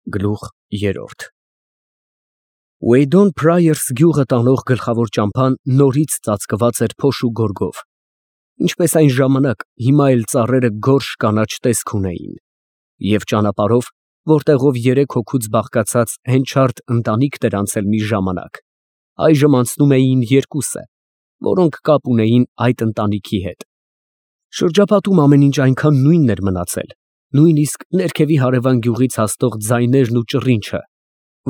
Գլուխ 3 Ուեյդոն Փրայերս գյուղը տանող գլխավոր ճամփան նորից ծածկված էր փոշու գորգով, ինչպես այն ժամանակ, հիմա էլ ծառերը գորշ կանաչ տեսք ունեին, և ճանապարհով, որտեղով երեք հոգուց բաղկացած հենչարդ ընտանիքն էր անցել մի ժամանակ, այժմ անցնում էին երկուսը, որոնք կապ ունեին այդ ընտանիքի հետ. շրջապատում ամեն ինչ այնքան նույնն էր մնացել, նույնիսկ ներքևի հարևան գյուղից հասնող ձայներն ու ճռինչը,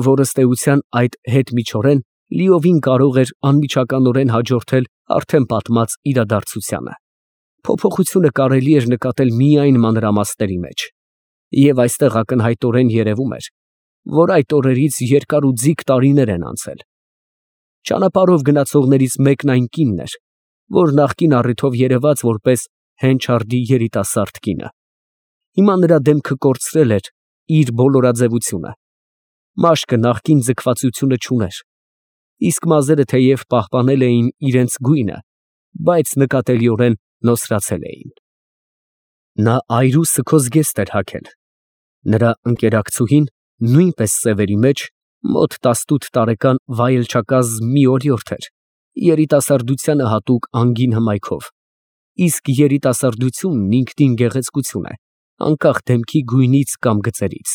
որ ըստ էության այդ հետմիջօրեն լիովին կարող էր անմիջականորեն հաջորդել արդեն պատմած իրադարձությանը. փոփոխությունը կարելի էր նկատել միայն մանրամասների մեջ, և այստեղ ակնհայտորեն երևում էր, որ այդ օրերից երկար ու ձիգ տարիներ են անցել. ճանապարհով գնացողներից մեկն այն կինն էր, որ նախկին առիթով երևաց որպես հենչարդի երիտասարդ կինը. հիմա նրա դեմքը կորցրել էր իր բոլորաձևությունը, մաշկը նախկին ձգվածությունը չուներ, իսկ մազերը թեև պահպանել էին իրենց գույնը, բայց նկատելիորեն նոսրացել էին. նա այրու սգո զգեստ էր հագել, նրա ընկերակցուհին նույնպես սևերի մեջ, մոտ 18 տարեկան վայելչակազմ մի օրիորդ էր, երիտասարդությանը հատուկ անգին հմայքով, իսկ երիտասարդությունն ինքնին գեղեցկություն է, անկախ դեմքի գույնից կամ գծերից.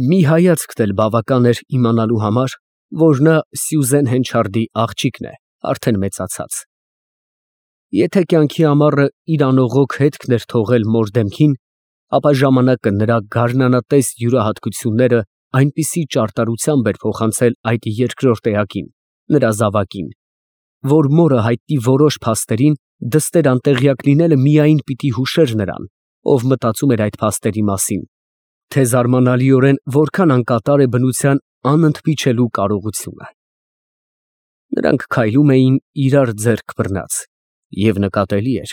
մի հայացքն էլ բավական էր իմանալու համար, որ նա Սյուզեն Հենչարդի աղջիկն է, արդեն մեծացած. եթե կյանքի ամառը իր անողոք հետքն էր թողել մոր դեմքին, ապա ժամանակը նրա գարնանատես յուրահատկությունները այնպիսի ճարտարությամբ էր փոխանցել այդ երկրորդ էակին, նրա զավակին, որ մորը հայտնի որոշ փաստերին դստեր անտեղյակ լինելը միայն պիտի հուշեր նրան, ով մտածում էր այդ փաստերի մասին, թե զարմանալիորեն որքան անկատար է բնության անընդմիջելու կարողությունը. նրանք քայլում էին իրար ձեռք բռնած, և նկատելի էր,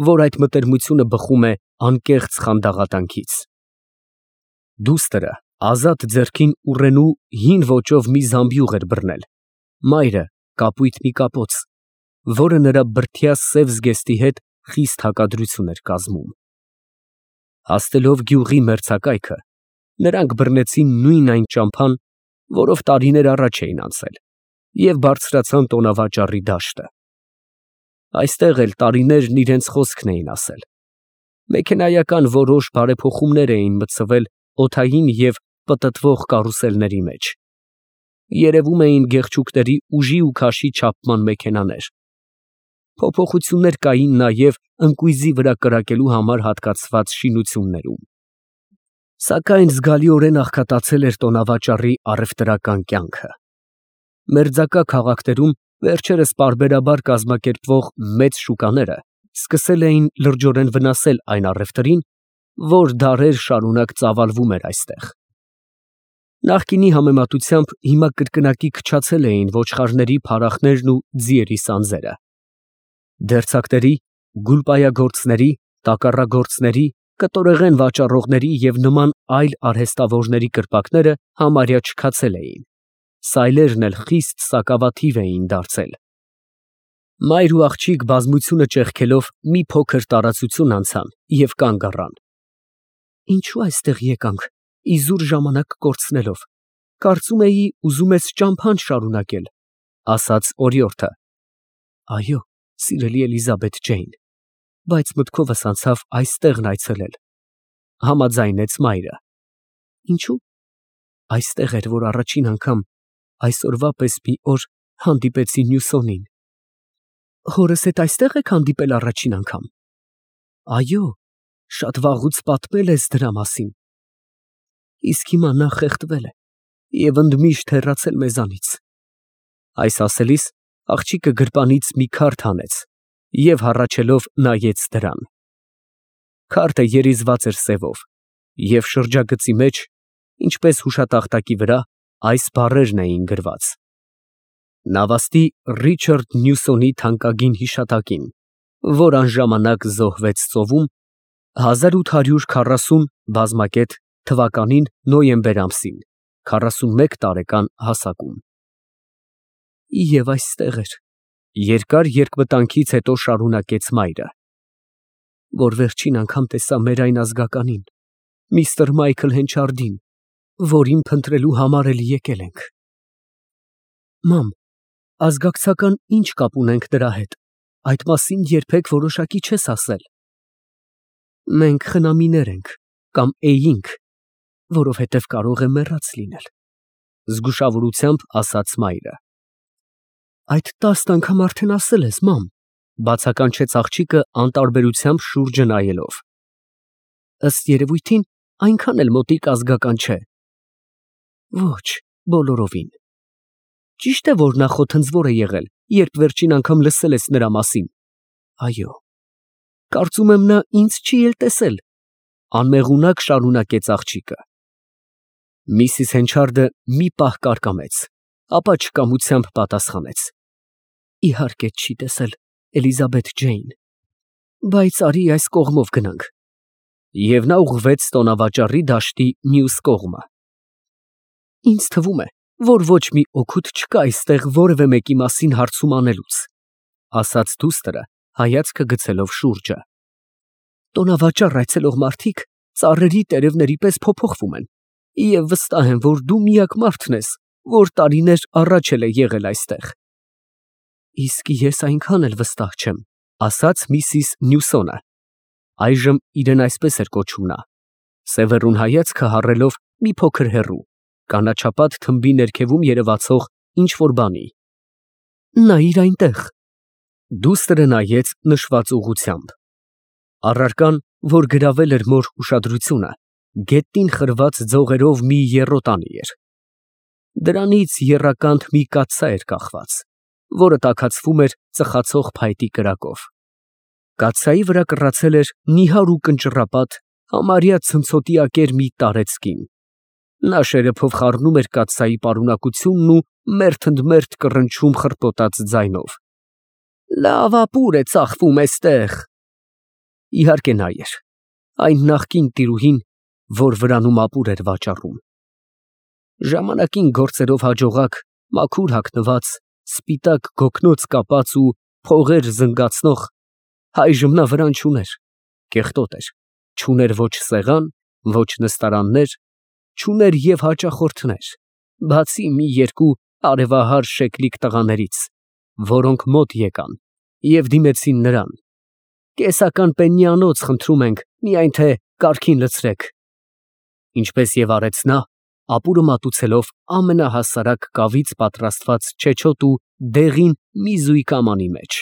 որ այդ մտերմությունը բխում է անկեղծ խանդաղատանքից. դուստրը ազատ ձեռքին ուռենու հին ոճով մի զամբյուղ էր բռնել, մայրը կապույտ մի կապոց, որը նրա բրդյա սև զգեստի հետ խիստ հակադրություն էր կազմում. հասնելով գյուղի մերձակայքը, նրանք բռնեցին նույն այն ճամփան, որով տարիներ առաջ էին անցել, և բարձրացան տոնավաճառի դաշտը. այստեղ էլ տարիներն իրենց խոսքն էին ասել, մեքենայական որոշ բարեփոխումներ էին մտցվել օդային և պտտվող կարուսելների մեջ, երևում էին գեղչուկների ուժի ու քաշի չափման մեքենաներ, փոփոխություններ կային նաև ընկույզի վրա կրակելու համար հատկացված շինություններում, սակայն զգալիորեն աղքատացել էր տոնավաճառի առևտրական կյանքը. մերձակա քաղաքներում վերջերս պարբերաբար կազմակերպվող մեծ շուկաները սկսել էին լրջորեն վնասել այն առևտրին, որ դարեր շարունակ ծավալվում էր այստեղ. նախկինի համեմատությամբ հիմա կրկնակի քչացել էին ոչխարների փարախներն ու ձիերի սանձերը, դերձակների, գուլպայագործների, տակառագործների, կտորեղեն վաճառողների և նման այլ արհեստավորների կրպակները համարյա չքացել էին, սայլերն էլ խիստ սակավաթիվ էին դարձել. մայր ու աղջիկ բազմությունը ճեղքելով մի փոքր տարածություն անցան և կանգ առան. ինչո՞ւ այստեղ եկանք, իզուր ժամանակ կորցնելով, կարծում էի ուզում ես ճամփան շարունակել, ասաց օրիորդը. այո, սիրելի Էլիզաբեթ Ջեյն, բայց մտքովս անցավ այստեղն այցելել, համաձայնեց մայրը. ինչո՞ւ, այստեղ էր, որ առաջին անգամ այսօրվա պես մի օր հանդիպեցի Նյուսոնին. հորս հետ այստեղ եք հանդիպել առաջին անգամ, այո, շատ վաղուց պատմել ես դրա մասին, իսկ հիմա նա խեղդվել է և ընդմիշտ հեռացել մեզանից. այս ասելիս աղջիկը գրպանից մի քարդ հանեց և հառաչելով նայեց դրան. քարտը երիզված էր սևով և շրջագծի մեջ, ինչպես հուշատախտակի վրա, այս բառերն էին գրված. նավաստի Ռիչարդ Նյուսոնի թանկագին հիշատակին, որ անժամանակ զոհվեց ծովում, 1840 բազմակետ թվականին նոյեմբեր ամսին, 41 տարեկան հասակում. և այստեղ էր, երկար երկմտանքից հետո շարունակեց մայրը, որ վերջին անգամ տեսա մեր այն ազգականին, միստր Մայքլ Հենչարդին, որին փնտրելու համար էլ եկել ենք։ Մամ, ազգակցական ինչ կապ ունենք դրա հետ, այդ մասին երբեք որոշակի չես ասել։ Մենք խնամիներ ենք, կամ էինք, որովհետև կարող է մեռած լինել, զգուշավորությամբ ասաց մայրը։ Այդ 10 անգամ արդեն ասել ես, մամ, բացականչեց աղջիկը անտարբերությամբ շուրջը նայելով։ Ըստ երևույթին, այնքան էլ մոտիկ ազգական չէ։ Ոչ, բոլորովին։ Ճիշտ է, որ նա խոթնձվոր է եղել, երբ վերջին անգամ լսել ես նրա մասին։ Այո։ Կարծում եմ նա ինձ չի էլ տեսել, անմեղունակ շարունակեց աղջիկը։ Միսիս Հենչարդը մի պահ կարկամեց, ապա չկամությամբ պատասխանեց. Իհարկե չի տեսել, Էլիզաբեթ Ջեյն, բայց արի այս կողմով գնանք։ Եվ նա ուղղվեց տոնավաճառի դաշտի մյուս կողմը։ Ինձ թվում է, որ ոչ մի օգուտ չկա այստեղ որևէ մեկի մասին հարցում անելուց, ասաց դուստրը, հայացքը գցելով շուրջը։ Տոնավաճառ այցելող մարդիկ ծառերի տերևների պես փոփոխվում են, և վստահ եմ, որ դու միակ մարդն ես, որ տարիներ առաջ էլ է եղել այստեղ։ Իսկ ես այնքան էլ վստահ չեմ, ասաց միսիս Նյուսոնը, այժմ իրեն այսպես էր կոչում նա, սևեռուն հայացքը հառելով մի փոքր հեռու, կանաչապատ թմբի ներքևում երևացող ինչ-որ բանի։ Նայիր այնտեղ։ Դուստրը նայեց նշված ուղղությամբ։ Առարկան, որ գրավել էր մոր ուշադրությունը, գետնին խրված ձողերով մի եռոտանի էր։ Դրանից եռականդ մի կաթսա էր կախված, որը տաքացվում էր ծխացող փայտի կրակով։ Կաթսայի վրա կռացել էր նիհար ու կնճռապատ, համարյա ցնցոտիակեր մի տարեց կին։ Նա շերեփով խառնում էր կաթսայի պարունակությունն ու մերթընդմերթ կռնչում խռպոտած ձայնով։ Լավ ապուր է ծախվում էստեղ։ Իհարկե նա էր, այն նախկին տիրուհին, որ վրանում ապուր էր վաճառում։ Ժամանակին գործերով հաջողակ, մաքուր հագնված, սպիտակ գոգնոց կապած ու փողեր զնգացնող, այժմ նա վրան չուներ, կեղտոտ էր, չուներ ոչ սեղան, ոչ նստարաններ, չուներ և հաճախորդներ, բացի մի երկու արևահար շեկլիկ տղաներից, որոնք մոտ եկան և դիմեցին նրան. Կեսական պեննիանոց խնդրում ենք, միայն թե կարգին լցրեք։ Ինչպես և արեց նա, ապուրը մատուցելով ամենահասարակ կավից պատրաստված չեչոտ ու դեղին մի զույգ ամանի մեջ։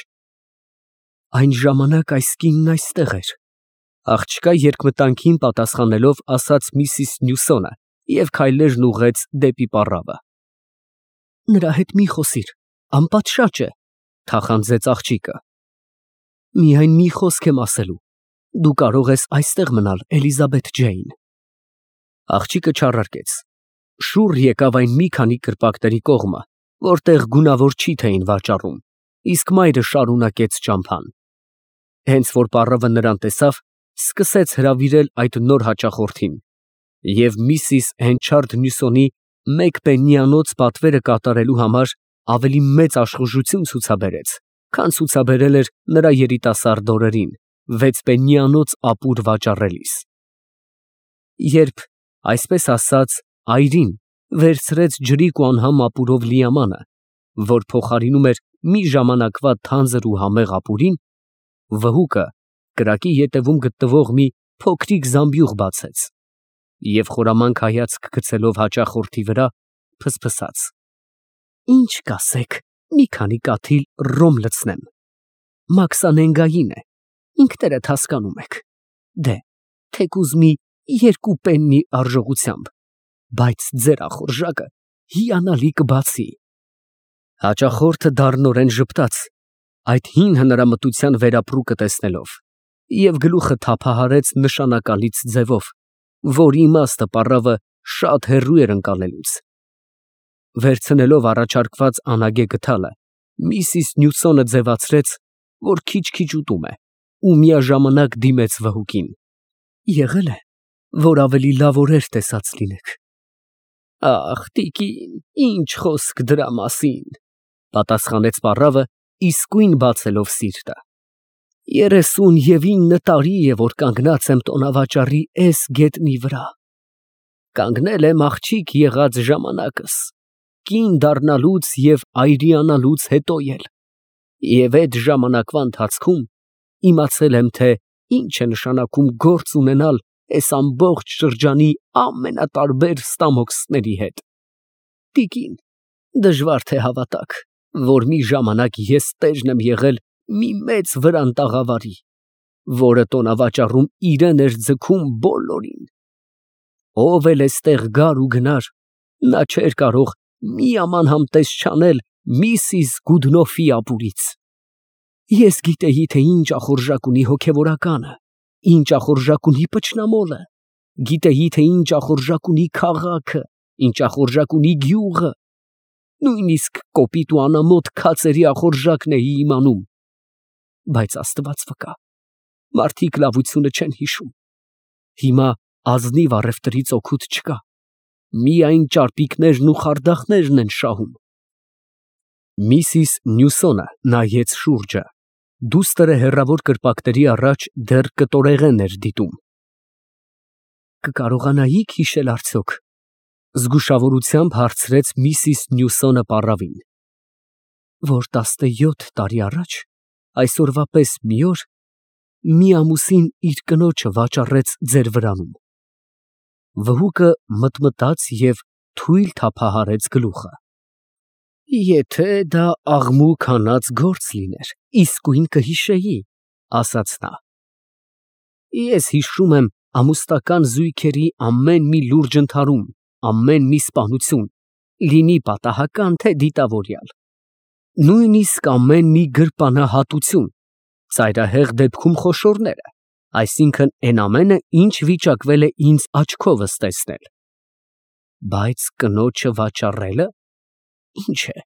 Այն ժամանակ այս կինն այստեղ էր, աղջկա երկմտանքին պատասխանելով ասաց միսիս Նյուսոնը և քայլերն ուղղեց դեպի պառավը։ Նրա հետ մի խոսիր, անպատշաճ է, թախանձեց աղջիկը։ Միայն մի խոսք եմ ասելու, դու կարող ես այստեղ մնալ, Էլիզաբեթ Ջեյն։ Աղջիկը չառարկեց, շուռ եկավ այն մի քանի կրպակների կողմը, որտեղ գունավոր չիթ էին վաճառում, իսկ մայրը շարունակեց ճամփան։ Հենց որ պառավը նրան տեսավ, սկսեց հրավիրել այդ նոր հաճախորդին, և միսիս Հենչարդ Նյուսոնի մեկ պեննիանոց պատվերը կատարելու համար ավելի մեծ աշխուժություն ցուցաբերեց, քան ցուցաբերել էր նրա երիտասարդ օրերին 6 պեննիանոց ապուր վաճառելիս։ Երբ, այսպես ասած, այրին վերցրեց ջրիկ ու անհամ ապուրով լիամանը, որ փոխարինում էր մի ժամանակվա թանձր ու համեղ ապուրին, վհուկը կրակի ետևում գտնվող մի փոքրիկ զամբյուղ բացեց և խորամանկ հայացք գցելով հաճախորդի վրա, փսփսաց. Ինչ կասեք, մի քանի կաթիլ ռոմ լցնեմ, մաքսանենգային է, ինքներդ հասկանում եք, դե, թեկուզ մի 2 պեննի արժողությամբ, բայց ձեր ախորժակը հիանալի կբացի։ Հաճախորդը դառնորեն ժպտաց, այդ հին հնարամտության վերապրուկը տեսնելով, և գլուխը թափահարեց նշանակալից ձևով, որի իմաստը պառավը շատ հեռու էր ընկալելուց։ Վերցնելով առաջարկված անագե գդալը, միսիս Նյուսոնը ձևացրեց, որ քիչ-քիչ ուտում է, ու միաժամանակ դիմեց վհուկին. Եղել է, որ ավելի լավ օրեր տեսած լինեք։ Ախ, տիկին, ինչ խոսք դրա մասին, պատասխանեց պառավը, իսկույն բացելով սիրտը։ 39 տարի է, որ կանգնած եմ տոնավաճառի էս գետնի վրա։ Կանգնել եմ աղջիկ եղած ժամանակս, կին դառնալուց և այրիանալուց հետո էլ, և այդ ժամանակվա ընթացքում իմացել եմ, թե ինչ է նշանակում գործ ունենալ այս ամբողջ շրջանի ամենատարբեր ստամոքսների հետ։ Տիկին, դժվար թե հավատաք, որ մի ժամանակ ես տերն եմ եղել մի մեծ վրանտաղավարի, որը տոնավաճառում իրեն էր ձգում բոլորին։ Ով էլ էստեղ գար ու գնար, նա չէր կարող մի աման համտես չանել Միսիս Գուդնոֆի ապուրից։ Ես գիտեի, թե ինչ ախորժակ ունի հոգևորականը, ինչ ախորժակ ունի պճնամոլը, գիտեի, թե ինչ ախորժակ ունի քաղաքը, ինչ ախորժակ ունի գյուղը, նույնիսկ կոպիտ ու անամոթ քացերի ախորժակն էի իմանում։ Բայց Աստված վկա, մարդիկ լավությունը չեն հիշում։ Հիմա ազնիվ առևտրից օգուտ չկա, միայն ճարպիկներն ու խարդախներն են շահում։ Միսիս Նյուսոնը նայեց շուրջը, դուստր հեռավոր կրպակների առաջ դեռ կտորեղեն էր դիտում։ Կկարողանայիք հիշել արդյոք, զգուշավորությամբ հարցրեց Միսիս Նյուսոնը պառավին, որ 17 տարի առաջ, այսօրվա պես մի օր, մի ամուսին իր կնոջը վաճառեց ձեր վրանում։ Վհուկը մտմտաց և թույլ թափահարեց գլուխը։ Եթե դա աղմուկ հանած գործ լիներ, իսկույն կհիշեի, ասաց նա։ Ես հիշում եմ ամուսնական զույգերի ամեն մի լուրջ ընդհարում, ամեն մի սպանություն, լինի պատահական, թե դիտավորյալ, նույնիսկ ամեն մի գրպանահատություն, ծայրահեղ դեպքում խոշորները, այսինքն այն ամենը, ինչ վիճակվել է ինձ աչքովս տեսնել։ Բայց կնոջը վաճառելը, ինչ է,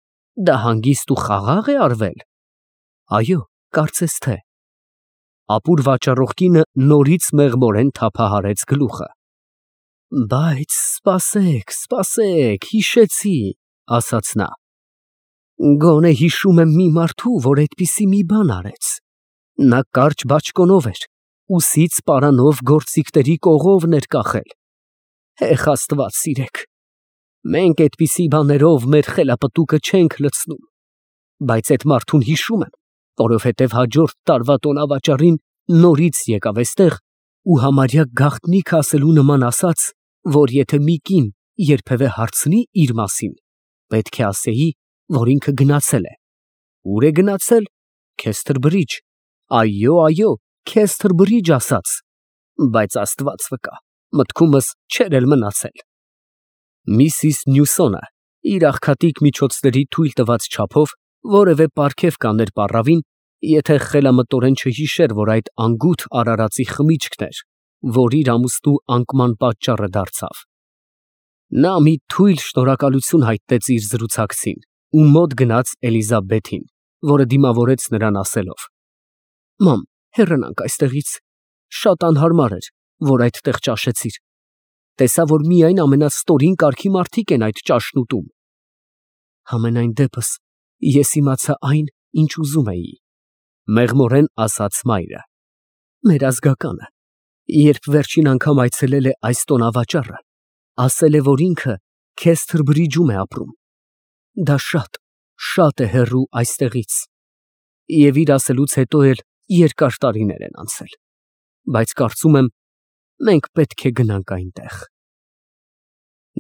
դա հանգիստ ու խաղաղ է արվել։ Այո, կարծես թե։ Ապուր վաճառող կինը նորից մեղմորեն թափահարեց գլուխը։ Բայց սպասեք, սպասեք, հիշեցի, ասաց նա։ Գոնե հիշում եմ մի մարդու, որ այդպիսի մի բան արեց։ Նա կարճ բաճկոնով էր, ուսից պարանով գործիքների կողովն էր կախել։ Հեխ Աստված սիրեք։ Մենք այդպիսի բաներով մեր խելապտուկը չենք լցնում, բայց այդ մարդուն հիշում եմ, որովհետև հաջորդ տարվա տոնավաճառին նորից եկավ այստեղ ու համարյա գաղտնիք ասելու նման ասաց, որ եթե մի կին երբևէ հարցնի իր մասին, պետք է ասեի, որ ինքը գնացել է։ Ուր է գնացել։ Քեսթր Բրիջ։ Այո, այո, Քեսթր Բրիջ ասաց, բայց Աստված վկա, մտքումս չէր էլ մնացել։ Միսիս Նյուսոնը իր աղքատիկ միջոցների թույլ տված չափով որևէ պարգև կաներ պառավին, եթե խելամտորեն չհիշեր, որ այդ անգութ արարածի խմիչքն էր, որ իր ամուսնու անկման պատճառը դարձավ։ Նա մի թույլ շնորհակալություն հայտնեց իր զրուցակցին ու մոտ գնաց Էլիզաբեթին, որը դիմավորեց նրան ասելով. Մամ, հեռանանք այստեղից, շատ անհարմար էր, որ այդտեղ ճաշեցիր։ Տեսա, որ միայն ամենաստորին կարգի մարդիկ են այդ ճաշն ուտում։ Համենայն դեպս, ես իմացա այն, ինչ ուզում էի, մեղմորեն ասաց մայրը։ Մեր ազգականը, երբ վերջին անգամ այցելել է այս տոնավաճառը, ասել է, որ ինքը Քեսթր Բրիջում է ապրում։ Դա շատ է հեռու այստեղից։ Եվ իր ասելուց հետո էլ երկար տարիներ են անցել, բայց կարծում եմ, մենք պետք է գնանք այնտեղ։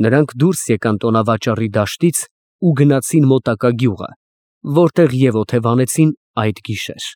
Նրանք դուրս եկան տոնավաճառի դաշտից ու գնացին մոտակա գյուղը, որտեղ և օթևանեցին այդ գիշեր։